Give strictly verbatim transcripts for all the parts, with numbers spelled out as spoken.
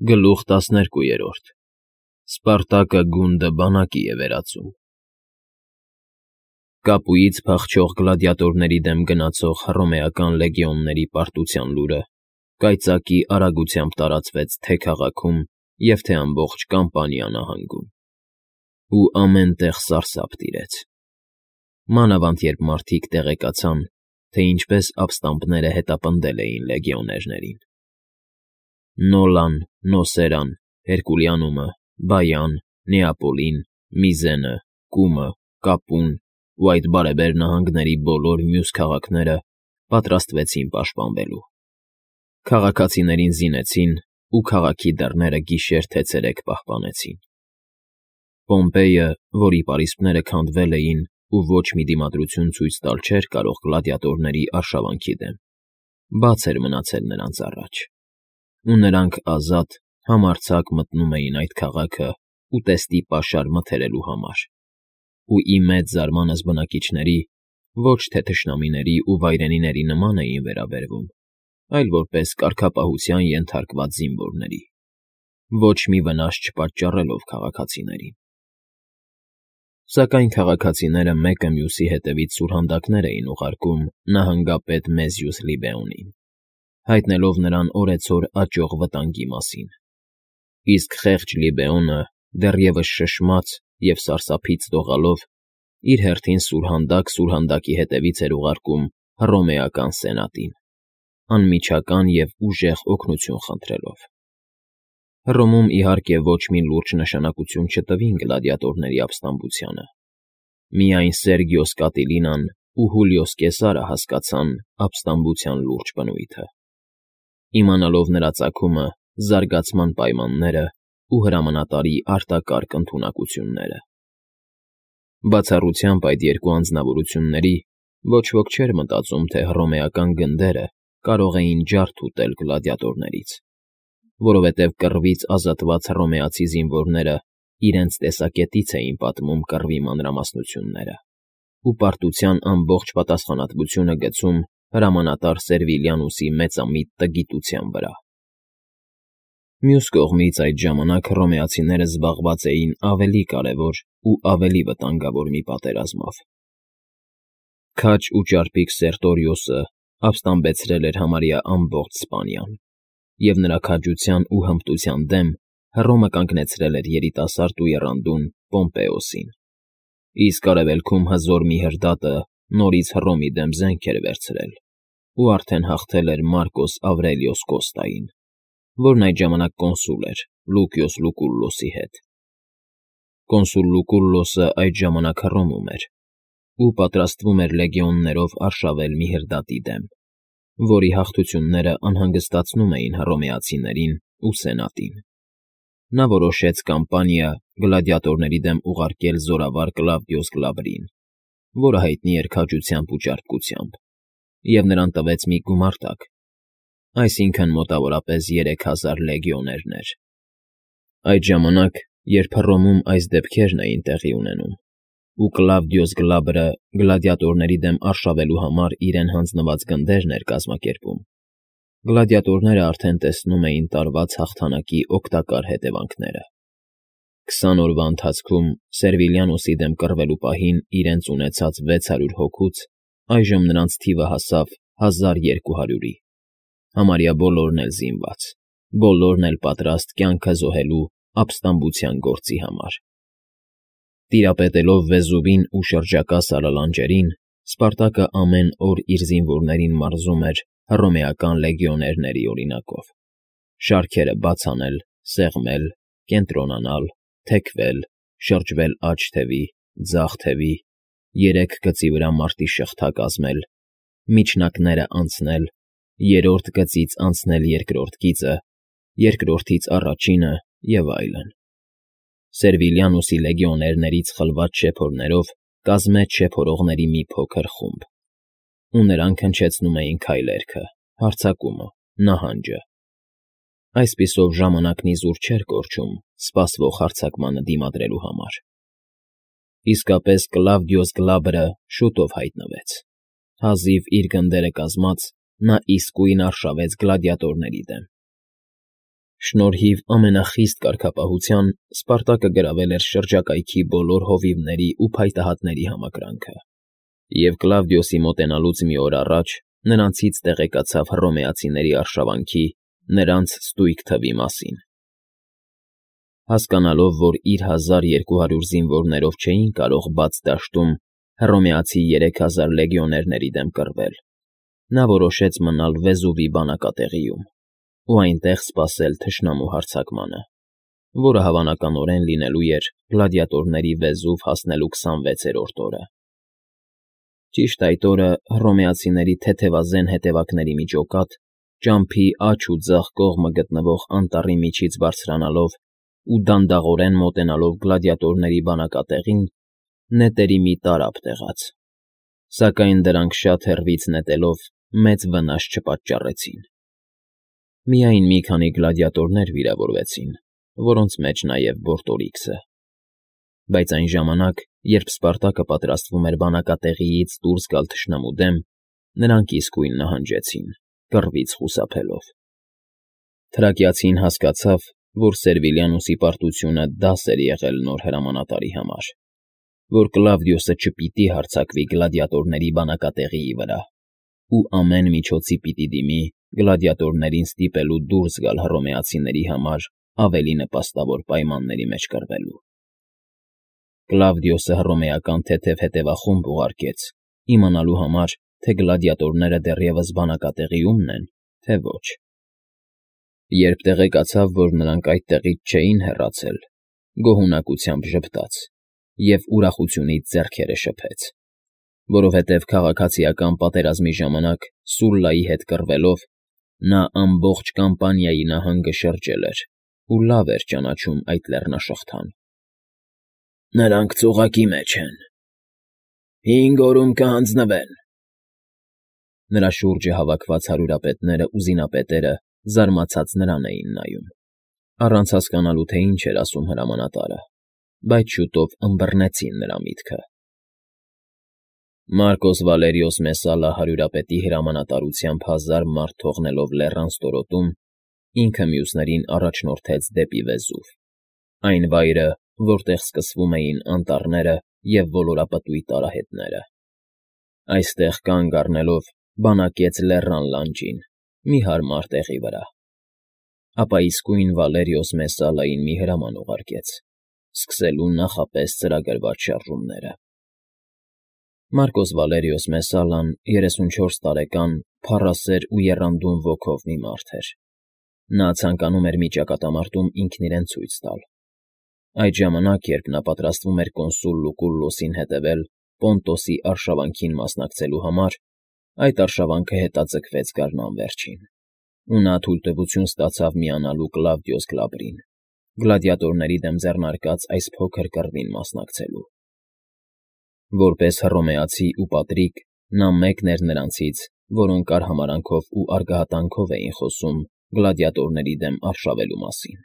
Գլուխ տասներկուերորդ Սպարտակը գունդը բանակի է վերածում։ Կապույից փախչող գլադիատորների դեմ գնացող հռոմեական լեգիոնների պարտության լուրը կայծակի արագությամբ տարածվեց թե՛ քաղաքում և թե՛ ամբողջ Կամպանիա նահանգում, ու ամեն տեղ սարսափ տիրեց, մանավանդ երբ մարդիկ տեղեկացան, թե ինչպես ապստամբները հետապնդել էին լեգիոներներին։ Նոլան, Նոսերան, Հերկուլիանումը, Բայան, Նեապոլին, Միզենը, Կումը, Կապուն ու այդ բարեբեր նահանգների բոլոր մյուս քաղաքները պատրաստվեցին պաշտպանվելու։ Քաղաքացիներին զինեցին ու քաղաքի դռները գիշեր թե ցերեկ պահպանեցին։ Պոմպեյը, որի պարիսպները քանդվել էին ու ոչ մի դիմադրություն ցույց տալ չէր կարող գլադիատորների արշավանքի դեմ, բաց էր մնացել նրանց առաջ, ու նրանք ազատ, համարձակ մտնում էին այդ քաղաքը ուտեստի պաշար մթերելու համար, ու ի մեծ զարմանս բնակիչների, ոչ թե թշնամիների ու վայրենիների նման էին վերաբերվում, այլ որպես կարգապահության ենթարկված զինվորների, ոչ մի վնաս չպատճառելով քաղաքացիներին։ Սակայն քաղաքացիները մեկը մյուսի հետևից սուրհանդակներ էին ուղարկում նահանգապետ Մեզյուս Լիբեոնին, հայտնելով նրան օրեցօր աճող վտանգի մասին, իսկ խեղճ Լիբեոնը, դեռևս շշմած և սարսափից դողալով, իր հերթին սուրհանդակ սուրհանդակի հետևից էր ուղարկում հռոմեական սենատին, անմիջական և ուժեղ օգնություն խնդրելով։ Հռոմում, իհարկե, ոչ մի լուրջ նշանակություն չտվին գլադիատորների ապստամբությանը, միայն Սերգիոս Կատիլինան ու Հուլիոս Կեսարը հասկացան ապստամբության լուրջ բնույթը, իմանալով նրա ծագումը, զարգացման պայմաններն ու հրամանատարի արտակարգ ընդունակությունները։ Բացառությամբ այդ երկու անձնավորությունների ոչ ոք չէր մտածում, թե հռոմեական գնդերը կարող էին ջարդ ուտել գլադիատորներից, որովհետև կռվից ազատված հռոմեացի զինվորները իրենց տեսակետից էին պատմում կռվի մանրամասնությունները ու պարտության ամբողջ պատասխանատվությունը գցում հրամանատար Սերվիլիանուսի մեծամիտ տգիտության վրա։ Մյուս կողմից, այդ ժամանակ հռոմեացիները զբաղված էին ավելի կարևոր ու ավելի վտանգավոր մի պատերազմով։ Քաջ ու ճարպիկ Սերտորիոսը ապստամբեցրել էր համարյա ամբողջ Սպանիան, և նրա քաջության ու հմտության դեմ Հռոմը կանգնեցրել էր երիտասարդ ու եռանդուն Պոմպեոսին, իսկ արևելքում հզոր մի հրդատը նորից Հռոմի դեմ զենք էր վերցրել ու արդեն հաղթել էր Մարկոս Ավրելիոս Կոստային, որն այդ ժամանակ կոնսուլ էր Լուկիոս Լուկուլլոսի հետ։ Կոնսուլ Լուկուլլոսը այդ ժամանակ Հռոմում էր ու պատրաստվում էր լեգիոններով արշավել մի հրդատի դեմ, որի հաղթությունները անհանգստացնում էին հռոմեացիներին ու սենատին։ Նա որոշեց Կամպանիա գլադիատորների դեմ ուղարկել զորավար Կլավդիոս Գլաբրին, որը հայտնի էր քաջությամբ ու ճարպկությամբ, և նրան տվեց մի գումարտակ, այսինքն՝ մոտավորապես երեք հազար լեգիոներներ։ Այդ ժամանակ, երբ Հռոմում այս դեպքերն էին տեղի ունենում, ու Կլավդիոս Գլաբրը գլադիատորների դեմ արշավելու համար իրեն հանձնված գնդերն էր կազմակերպում, գլադիատորները արդեն տեսնում էին տարված հաղթանակի օգտակար հետևանքները։ Քսան օրվա ընթացքում Սերվիլիանոսի դեմ կռվելու պահին իրենց ունեցած վեց հարյուր հոգուց այժմ նրանց թիվը հասավ հազար երկու հարյուրի, համարյա բոլորն էլ զինված, բոլորն էլ պատրաստ կյանքը զոհելու ապստամբության գործի համար։ Տիրապետելով Վեզուվին ու շրջակա սարալանջերին, Սպարտակը ամեն օր իր զինվորներին մարզում էր հռոմեական լեգիոներների օրինակով՝ շարքերը բաց անել, սեղմել, կենտրոնանալ, թեքվել, շրջվել աջ թևի, ձախ թևի, երեք գծի վրա մարտի շղթա կազմել, միջնակները անցնել, երրորդ գծից անցնել երկրորդ գիծը, երկրորդից առաջինը և այլն։ Սերվիլիանուսի լեգիոներներից խլված շեփորներով կազմեց շեփորողների մի փոքր խումբ, ու նրանք հնչեցնում էին քայլերքը, հարձակումը, նահանջը։ Այսպիսով ժամանակն իզուր չէր կորչում սպասվող հարձակմանը դիմադրելու համար։ Իսկապես Կլավդիոս Գլաբրը շուտով հայտնվեց։ Հազիվ իր գնդերը կազմած՝ նա իսկույն արշավեց գլադիատորների դեմ։ Շնորհիվ ամենախիստ կարգապահության Սպարտակը գրավել էր շրջակայքի բոլոր հովիվների ու փայտահատների համակրանքը, և Կլավդիոսի մոտենալուց մի օր առաջ նրանցից տեղեկացավ հռոմեացիների արշավանքի, նրանց ստույգ թվի մասին։ Հասկանալով, որ իր հազար երկու հարյուր զինվորներով չէին կարող բաց դաշտում հռոմեացի երեք հազար լեգիոներների դեմ կռվել, նա որոշեց մնալ Վեզուվի բանակատեղիում ու այնտեղ սպասել թշնամու հարձակմանը, որը հավանականորեն լինելու էր գլադիատորների Վեզուվ հասնելու քսանվեցերորդ օրը։ Ճիշտ այդ օրը հռոմեացիների թեթևազեն հետևակների մի ջոկատ, ճամփի աջ ու ձախ կողմը գտնվող անտառի միջից բարձրանալով ու դանդաղորեն մոտենալով գլադիատորների բանակատեղին, նետերի մի տարափ տեղաց, սակայն դրանք շատ հեռվից նետելով մեծ վնաս չպատճառեցին։ Միայն մի քանի գլադիատորներ վիրավորվեցին, որոնց մեջ նաև Բորտորիքսը։ Բայց այն ժամանակ, երբ Սպարտակը պատրաստվում էր բանակատեղիից դուրս գալ թշնամու դեմ, նրանք իսկույն նահանջեցին, կռվից խուսափելով։ Թրակիացին հասկացավ, որ Սերվիլիանուսի պարտությունը դաս էր եղել նոր հրամանատարի համար, որ Կլավդիոսը չպիտի հարձակվի գլադիատորների բանակատեղիի վրա ու ամեն միջոցի պիտի դիմի գլադիատորներին ստիպելու դուրս գալ հռոմեացիների համար ավելի նպաստավոր պայմանների մեջ կռվելու։ Կլավդիոսը հռոմեական թեթև հետևախումբ ուղարկեց, իմանալու համար, թե գլադիատորները դեռևս բանակատեղիումն են, թե ոչ։ Երբ տեղեկացավ, որ նրանք այդտեղից չէին հեռացել, գոհունակությամբ ժպտաց և ուրախությունից ձեռքերը շփեց, որովհետև քաղաքացիական պատերազմի ժամանակ Սուլլայի հետ կռվելով նա ամբողջ Կամպանիայի նահանգը շրջել էր ու լավ էր ճանաչում այդ լեռնաշղթան։ «Նրանք ծուղակի մեջ են, հինգ օրում կհանձնվեն»։ Նրա շուրջը հավաքված հարյուրապետներն ու զինապետերը զարմացած նրան էին նայում, առանց հասկանալու, թե ինչ էր ասում հրամանատարը, բայց շուտով ըմբռնեցին նրա միտքը։ Մարկոս Վալերիոս Մեսալլա հարյուրապետի հրամանատարությամբ հազար մարդ թողնելով լեռան ստորոտում, ինքը մյուսներին առաջնորդեց դեպի Վեզուվ, այն վայրը, որտեղ սկսվում էին անտառները և ոլորապտույտ արահետները։ Այստեղ կանգ առնելով բանակեց լեռան լանջին, մի հարմար տեղի վրա։ Ապա իսկույն Վալերիոս Մեսալլային մի հրաման ուղարկեց, սկսելու նախապես ծրագրված շարժումները։ Մարկոս Վալերիոս Մեսալլան երեսունչորս տարեկան, փառասեր ու եռանդուն ոգով մի մարդ էր։ Նա ցանկանում էր մի ճակատամարտում ինքն իրեն ցույց տալ։ Այդ ժամանակ, երբ նա պատրաստվում էր կոնսուլ Լուկուլլոսին հետևել Պոնտոսի արշավանքին մասնակցելու համար, այդ արշավանքը հետաձգվեց գարնան վերջին, ու նա թույլտվություն ստացավ միանալու Կլավդիոս Գլաբրին, գլադիատորների դեմ ձեռնարկած այս փոքր կռվին մասնակցելու։ Որպես հռոմեացի ու պատրիկ, նա մեկն էր նրանցից, որոնք արհամարհանքով ու արգահատանքով էին խոսում գլադիատորների դեմ արշավելու մասին,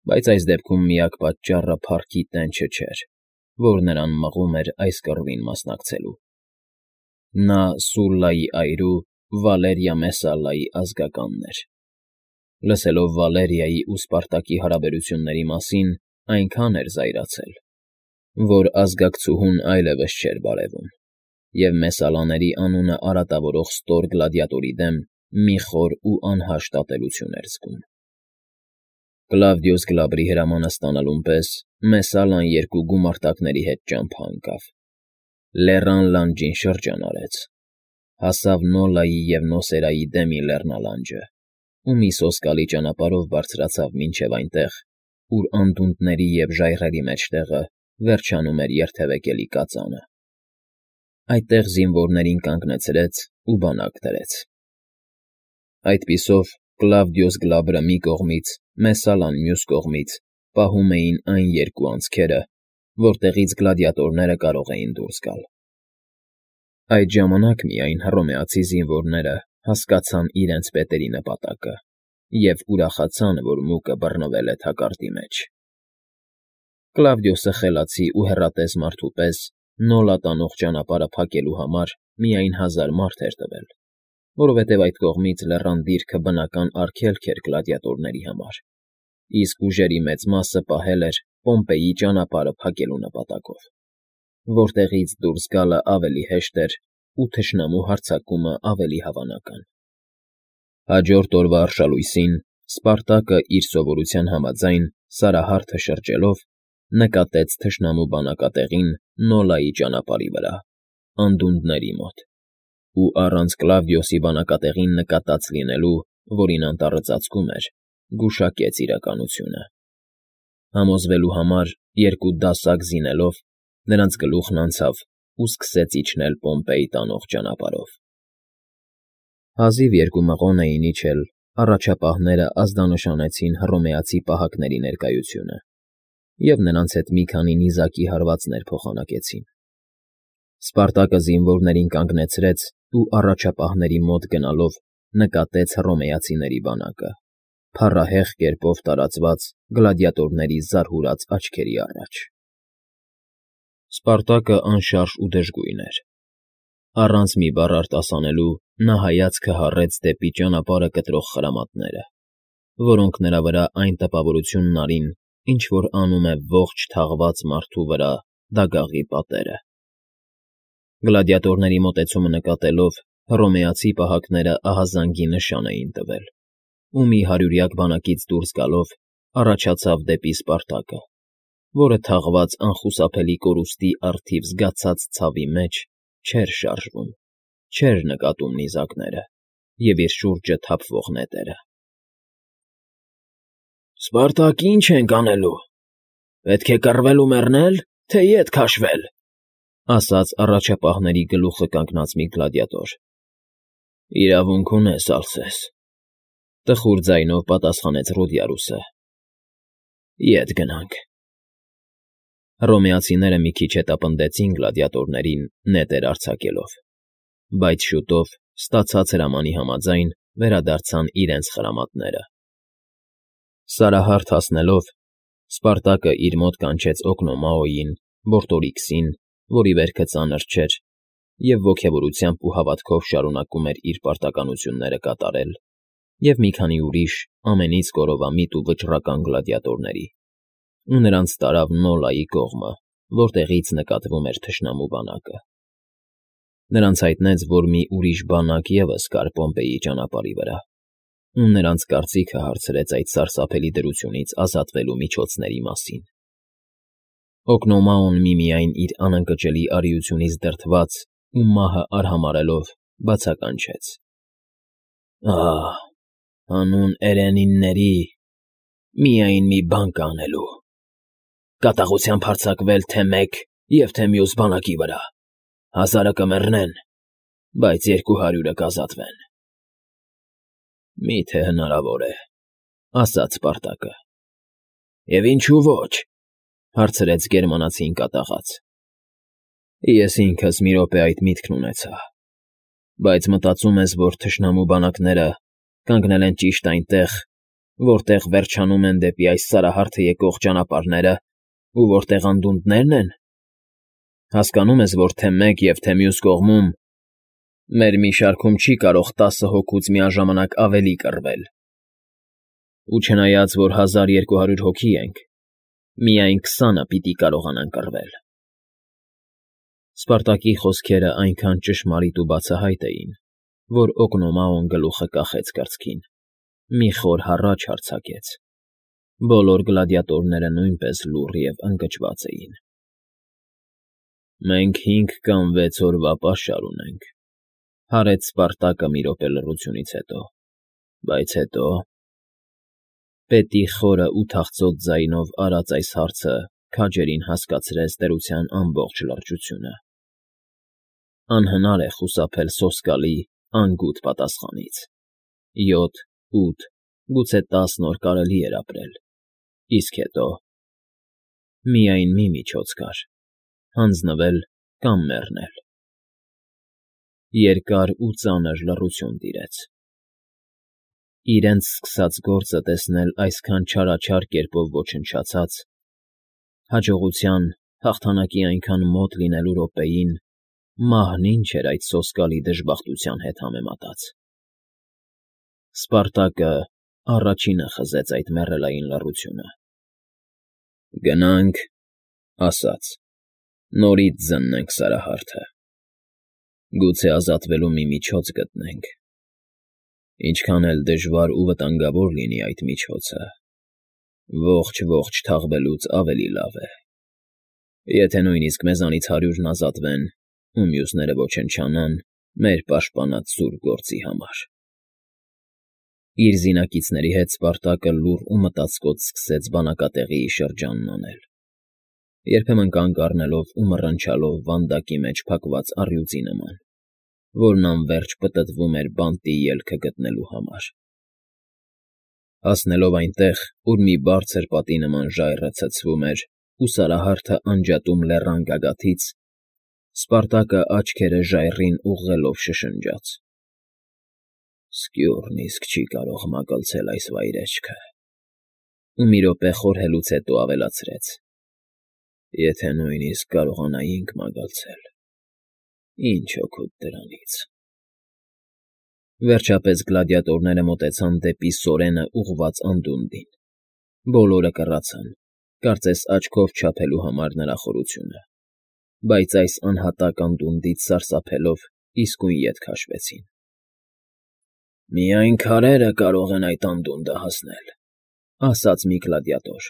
բայց այս դեպքում միակ պատճառը փառքի տենչը չէր, որ նրան մղում էր այս կռվին մասնակցելու։ Նա Սուլլայի այրու Վալերիա Մեսալլայի ազգականն էր։ Լսելով Վալերիայի ու Սպարտակի հարաբերությունների մասին, այնքան էր զայրացել, որ ազգակցուհուն այլևս չէր բարևում, և Մեսալլաների անունը արատավորող ստոր գլադիատորի դեմ մի խոր ու անհաշտ ատելություն էր զգում։ Կլավդիոս Գլաբրի հրամանը ստանալուն պես Մեսալլան երկու գումարտակների հետ ճամփա ընկավ, լեռան լանջին շրջան արեց, հասավ Նոլայի և Նոսերայի դեմի լեռնալանջը ու մի սոսկալի ճանապարհով բարձրացավ մինչև այնտեղ, ուր անդունդների և ժայռերի մեջտեղը վերջանում էր երթևեկելի կածանը։ Այդտեղ զինվորներին կանգնեցրեց ու բանակ դրեց։ Այդպիսով Կլավդիոս Գլաբրը մի կողմից, Մեսալլան մյուս կողմից պահում էին այն երկու անցքերը, որտեղից գլադիատորները կարող էին դուրս գալ։ Այդ ժամանակ միայն հռոմեացի զինվորները հասկացան իրենց պետերի նպատակը և ուրախացան, որ մուկը բռնվել է թակարդի մեջ։ Կլավդիոսը խելացի ու հեռատես մարդու պես Նոլա տանող ճանապարհը փակելու համար միայն հազար մարդ էր տվել, որովհետև այդ կողմից լեռան դիրքը բնական արգելք էր գլադիատորների համար, իսկ ուժերի մեծ մասը պահել էր Պոմպեյի ճանապարհը փակելու նպատակով, որտեղից դուրս գալը ավելի հեշտ էր ու թշնամու հարձակումը ավելի հավանական։ Հաջորդ օրվա արշալույսին Սպարտակը իր սովորության համաձայն Սարահարթը շրջելով նկատեց թշնամու բանակատեղին Նոլայի ճանապարհի վրա, անդունդների մոտ, ու առանց Կլավդիոսի բանակատեղին նկատած լինելու, որին անտառը ծածկում էր, գուշակեց իրականությունը։ Համոզվելու համար երկու դասակ զինելով նրանց գլուխն անցավ ու սկսեց իջնել Պոմպեյ տանող ճանապարհով։ Հազիվ երկու մղոն էին իջել, առաջապահները ազդանշանեցին հռոմեացի պահակների ներկայությունը և նրանց հետ մի քանի նիզակի հարվածներ փոխանակեցին։ Սպարտակը զինվորներին կանգնեցրեց ու առաջապահների մոտ գնալով նկատեց հռոմեացիների բանակը, փառահեղ կերպով տարածված գլադիատորների զարհուրած աչքերի առաջ։ Սպարտակը անշարժ ու դժգույն էր։ Առանց մի բառ արտասանելու նա հայացքը հառեց դեպի ճանապարհը կտրող խրամատները, որոնք նրա վրա այն տպավորությունն արին, ինչ որ անում է ողջ թաղված մարդու վրա դագաղի պատերը։ Գլադիատորների մոտեցումը նկատելով հռոմեացի պահակները ահազանգի նշան էին տվել, ու մի հարյուրյակ բանակից դուրս գալով առաջացավ դեպի Սպարտակը, որը թաղված անխուսափելի կորուստի առթիվ զգացած ցավի մեջ չէր շարժվում, չէր նկատում նիզակները և իր շուրջը թափվող նետերը։ ֊ Սպարտակ, ի՞նչ ենք անելու, պետք է կռվել ու մեռնե՞լ, թե ետ քաշվել,֊ ասաց առաջապահների գլուխը կանգնած մի գլադիատոր։ ֊ Իրավունք ունես, Ալսես,֊ տխուր ձայնով պատասխանեց Ռոդիարուսը։ ֊ Ետ գնանք։ Հռոմեացիները մի քիչ հետապնդեցին գլադիատորներին նետեր արձակելով, բայց շուտով, ստացած հրամանի համաձայն, վերադարձան իրենց խրամատները։ Սարահարթ հասնելով՝ Սպարտակը իր մոտ կանչեց Օկնոմաոյին, Բորտորիքսին, որի վերքը ծանր չէր և ոգևորությամբ ու հավատքով շարունակում էր իր պարտականությունները կատարել, և մի քանի ուրիշ, ամենից կորովամիտ ու վճռական գլադիատորների, ու նրանց տարավ Նոլայի կողմը, որտեղից նկատվում էր թշնամու բանակը։ Նրանց հայտնեց, որ մի ուրիշ բանակ ևս կար Պոմպեյի ճանապարհի վրա, ու նրանց կարծիքը հարցրեց այդ սարսափելի դրությունից ազատվելու միջոցների մասին։ Օկնոմաոն միմիայն իր անընկճելի արիությունից դրդված ու մահը արհամարհելով բացականչեց. «Ահ, հանուն էրենինների, միայն մի բան կա անելու. կատաղությամբ հարձակվել թե մեկ և թե մյուս բանակի վրա, հազարը կմեռնեն, բայց երկու հարյուրը կազատվեն»։ ֊ Մի՞թե հնարավոր է,֊ ասաց Սպարտակը։ ֊ Եվ ինչու ոչ,֊ հարցրեց գերմանացին կատաղած։ ֊ Ես ինքս մի րոպե այդ միտքն ունեցա, բայց մտածում ես, որ թշնամու բանակները կանգնել են ճիշտ այնտեղ, որտեղ վերջանում են դեպի այս Սարահարթը եկող ճանապարհները ու որտեղ անդունդներն են։ Հասկանում ես, որ թե մեկ և թե մյուս կողմում մեր մի շարքում չի կարող տասը հոգուց միաժամանակ ավելի կռվել, ու չնայած, որ հազար երկու հարյուր հոգի ենք, միայն քսանը պիտի կարողանան կռվել։ Սպարտակի խոսքերն այնքան ճշմարիտ ու բացահայտ էին, որ Օկնոմաոն գլուխը կախեց կրծքին, մի խոր հառաչ արձակեց։ Բոլոր գլադիատորները նույնպես լուռ և ընկճված էին։ ֊ Մենք հինգ կամ վեց օրվա պաշար ունենք,֊ հարեց Սպարտակը մի րոպե լռությունից հետո,֊ բայց հետո…֊ Պետի խորը ու թախծոտ ձայնով արած այս հարցը քաջերին հասկացրեց տերության ամբողջ լրջությունը։ Անհնար է խուսափել սոսկալի, անգութ պատասխանից. յոթ, ութ, գուցե տասն օր կարելի էր ապրել, իսկ հետո… Միայն մի միջոց կար՝ հանձնվել կամ մեռնել։ Երկար ու ծանր լռություն տիրեց։ Իրենց սկսած գործը տեսնել այսքան չարաչար կերպով ոչնչացած, հաջողության, հաղթանակի այնքան մոտ լինելու րոպեին մահն ինչ էր այդ սոսկալի դժբախտության հետ համեմատած։ Սպարտակը առաջինը խզեց այդ մեռելային լռությունը։ ֊ Գնանք,֊ ասաց,֊ նորից զննենք Սարահարթը, գուցե ազատվելու մի միջոց գտնենք, ինչքան էլ դժվար ու վտանգավոր լինի այդ միջոցը, ողջ֊ողջ թաղվելուց ավելի լավ է, եթե նույնիսկ մեզանից հարյուրն ազատվեն ու մյուսները ոչնչանան մեր պաշտպանած սուր գործի համար… Իր զինակիցների հետ Սպարտակը լուռ ու մտածկոտ սկսեց բանակատեղիի շրջանն անել, երբեմն կանգ առնելով ու մռնչալով վանդակի մեջ փակված առյուծի նման, որն անվերջ պտտվում էր բանտի ելքը գտնելու համար… Հասնելով այնտեղ, ուր մի բարձր պատի նման ժայռը ցցվում էր ու Սարահարթը անջատում լեռան գագաթից, Սպարտակը աչքերը ժայռին ուղղելով շշնջաց. «Սկյուռն իսկ չի կարող մագլցել այս վայրէջքը» ու մի րոպե խորհելուց հետո ավելացրեց. «Եթե նույնիսկ կարողանայինք մագլցել, ինչ օգուտ դրանից»։ Վերջապես գլադիատորները մոտեցան դեպի սորենը ուղղված անդունդին, բոլորը կռացան, կարծես աչքով չափելու համար նրա խորությունը, բայց այս անհատակ անդունդից սարսափելով իսկույն ետ քաշվեցին։ ֊ Միայն քարերը կարող են այդ անդունդը հասնել,֊ ասաց մի գլադիատոր։